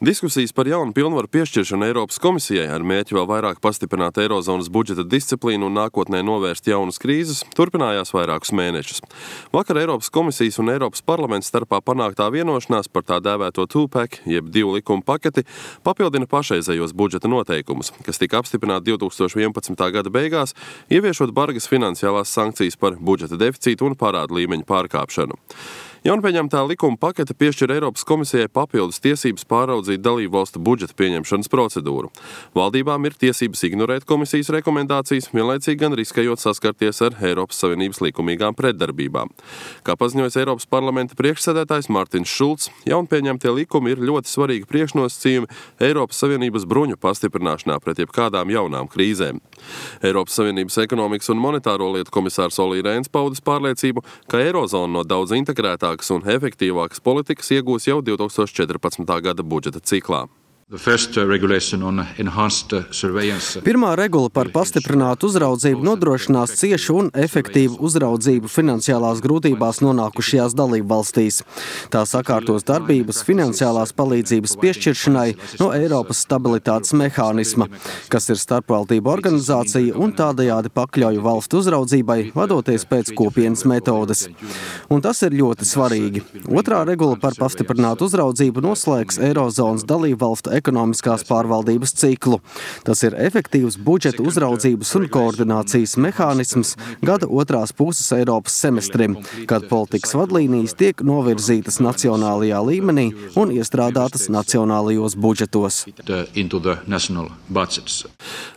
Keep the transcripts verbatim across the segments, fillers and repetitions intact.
Diskusijas par jaunu pilnvaru piešķiršanu Eiropas komisijai ar mērķi vēl vairāk pastiprināt Eirozonas budžeta disciplīnu un nākotnē novērst jaunas krīzes turpinājās vairākus mēnešus. Vakar Eiropas komisijas un Eiropas parlamenta starpā panāktā vienošanās par tā dēvēto two-pack, jeb divu likumu paketi, papildina pašreizējos budžeta noteikumus, kas tika apstiprināti divtūkstoš vienpadsmitā gada beigās, ieviešot bargas finansiālās sankcijas par budžeta deficītu un parādu līmeņu pārkāpšanu. Jaunpieņemtā likuma pakete piešķir Eiropas komisijai papildus tiesības pāraudzīt dalību valstu budžeta pieņemšanas procedūru. Valdībām ir tiesības ignorēt komisijas rekomendācijas, vienlaicīgi gan riskējot saskarties ar Eiropas Savienības likumīgām pretdarbībām. Kā paziņojas Eiropas parlamenta priekšsēdētājs Mārtiņš Šulcs, jaunpieņemtie likumi ir ļoti svarīgi priekšnosacījumi Eiropas Savienības bruņu pastiprināšanā pret jebkādām jaunām krīzēm. Eiropas Savienības ekonomikas un monetāro lietu komisārs Olli Rehns paudis pārliecību, ka Eirozona no daudz integrētāk un efektīvākas politikas iegūs jau divtūkstoš četrpadsmitā gada budžeta ciklā. Pirmā regula par pastiprinātu uzraudzību nodrošinās ciešu un efektīvu uzraudzību finansiālās grūtībās nonākušajās dalību valstīs. Tā sakārtos darbības finansiālās palīdzības piešķiršanai no Eiropas stabilitātes mehānisma, kas ir starpvaldību organizācija un tādējādi pakļauj valstu uzraudzībai, vadoties pēc kopienas metodes. Un tas ir ļoti svarīgi. Otrā regula par pastiprinātu uzraudzību noslēgs Eirozonas dalību valstu ekonomiskās pārvaldības ciklu. Tas ir efektīvs budžeta uzraudzības un koordinācijas mehānisms gada otrās puses Eiropas semestrim, kad politikas vadlīnijas tiek novirzītas nacionālajā līmenī un iestrādātas nacionālajos budžetos.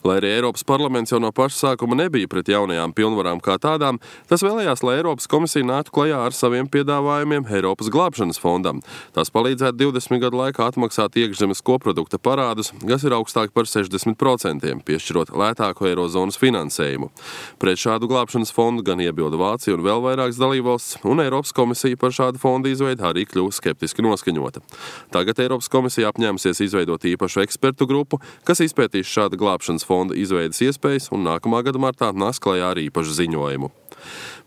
Lai arī Eiropas parlaments jau no paša sākuma nebija pret jaunajām pilnvarām kā tādām, tas vēlējās, lai Eiropas komisija nāktu klajā ar saviem piedāvājumiem Eiropas glābšanas fondam. Tas palīdzētu divdesmit gadu laikā atmaksāt iekšzemes koprodukta parādus, kas ir augstāk par sešdesmit procentiem, piešķirot lētāku Eirozonas finansējumu. Pret šādu glābšanas fondu gan iebilda Vācija un vēl vairākas dalībvalstis, un Eiropas komisija par šādu fondu izveidu arī kļūst skeptiski noskaņota. Tagad Eiropas komisija apņēmusies izveidot īpašu ekspertu grupu, kas izpētīs šāda glābšanas fonda izveidas iespējas un nākamā gada martā nāks klajā ar īpašu ziņojumu.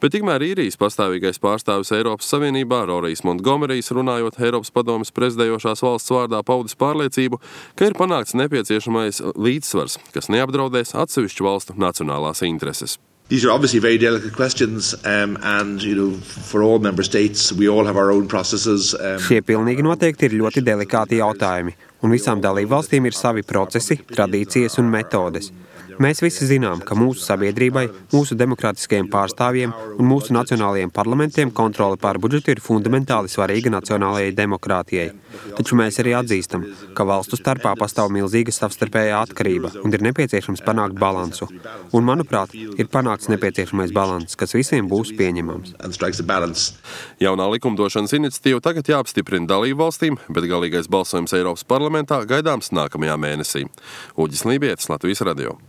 Bet tikmēr īrijas pastāvīgais pārstāvis Eiropas Savienībā, Rorijs Montgomerijs, runājot Eiropas padomes prezidējošās valsts vārdā, paudis pārliecību, ka ir panākts nepieciešamais līdzsvars, kas neapdraudēs atsevišķu valstu nacionālās intereses. These are obviously very delicate questions, um, and you know, for all member states, we all have our own processes. Um... Šie pilnīgi noteikti ir ļoti delikāti jautājumi, un visām dalībvalstīm ir savi procesi, tradīcijas un metodes. Mēs visi zinām, ka mūsu sabiedrībai, mūsu demokrātiskajiem pārstāvjiem un mūsu nacionālajiem parlamentiem kontrole pār budžetu ir fundamentāli svarīga nacionālajai demokrātijai. Taču mēs arī atzīstam, ka valstu starpā pastāv milzīga savstarpējā atkarība un ir nepieciešams panākt balansu. Un, manuprāt, ir panākts nepieciešamais balanss, kas visiem būs pieņemams. Jaunā likumdošanas iniciatīva tagad jāapstiprina dalību valstīm, bet galīgais balsojums Eiropas parlamentā gaidāms nākamajā mēnesī. Uģis Lībietis, Latvijas radio.